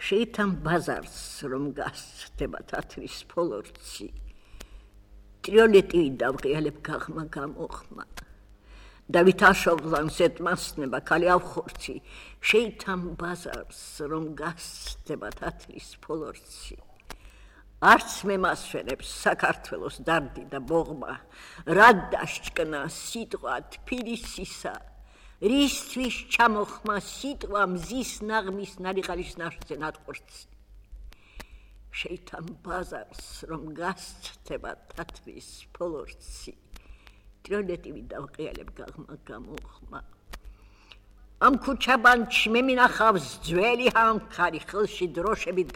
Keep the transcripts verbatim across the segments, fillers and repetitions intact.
შეითან ბაზარს რომ გასცდება თათრის ფოლორცი ტრიოლეტი დავღიალებ გაღმა გამოხმა და ვითაშობლანს ეთმასნება ქალი ავხორცი შეითან ბაზარს რომ გასცდება თათრის ფოლორცი არც მე მასვენებს საქართველოს დარდი და ბოღმა რა დაშჭკნა სიტყვა თბილისისა რისთვის ჩამოხმა სიტყვა მზის ნაღმის ნარიყალის ნაშზე ნატყორცი შეითან ბაზარს რომ გასცდება თათრის ფოლორცი ტრიოლეტივი დავყიალებ გაღმა გამოხმა ამ ქუჩაბანჩი მე მინახავს ძველი ჰამქარი ხელში დროშებით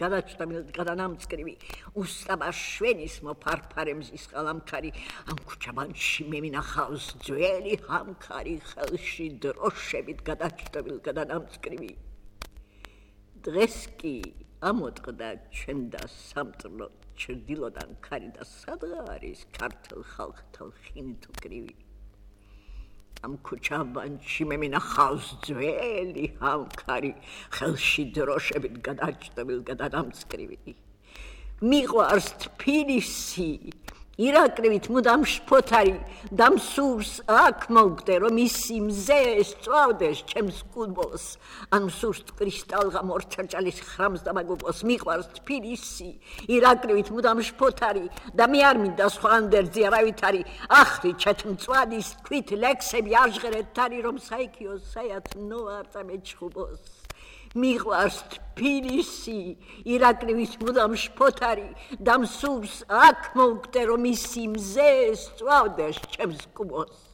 გადანამწკრივი უსტაბა შვენის მოფარფარე მზის ყალამქარი ამ ქუჩაბანჩი მე მინახავს ძველი ჰამქარი ხელში დროშებით გადანამწკრივი დღეს კი ამოწყდა ჩვენ და სამტრლო ჩრდილოდან ქარი და სადღა არის ქართულ ხალხთა ხინით უკრივი ამ ქუჩაბანჩი მე მინახავს ძველი ჰამქარი ხელში დროშებით გადანამწკრივი მიყვარს თბილისი ირაკლივით მუდამ შფოთარი და მსურს აქ მოვგდე რომ ისი მზე სწვავდეს ჩემს კუდბოს ან მსურს კრისტალღა მორჩაჭალის ხრამს დამაგუპოს მიყვარს თბილისი ირაკლივით მუდამ შფოთარი და მე არ მინდა სხვა ანდერძი არავით არის ახრი ჩეთმწვადის თქვით ლექსები აჟღერეთ თარი რომ საიქიოს საят ნოარტა მეჩხუბოს მიყვარს თბილისი ირაკლივით მუდამ შფოთარი და მსურს აქ მოვგდე რომ ისი მზე სწვავდეს ჩემს კუბოს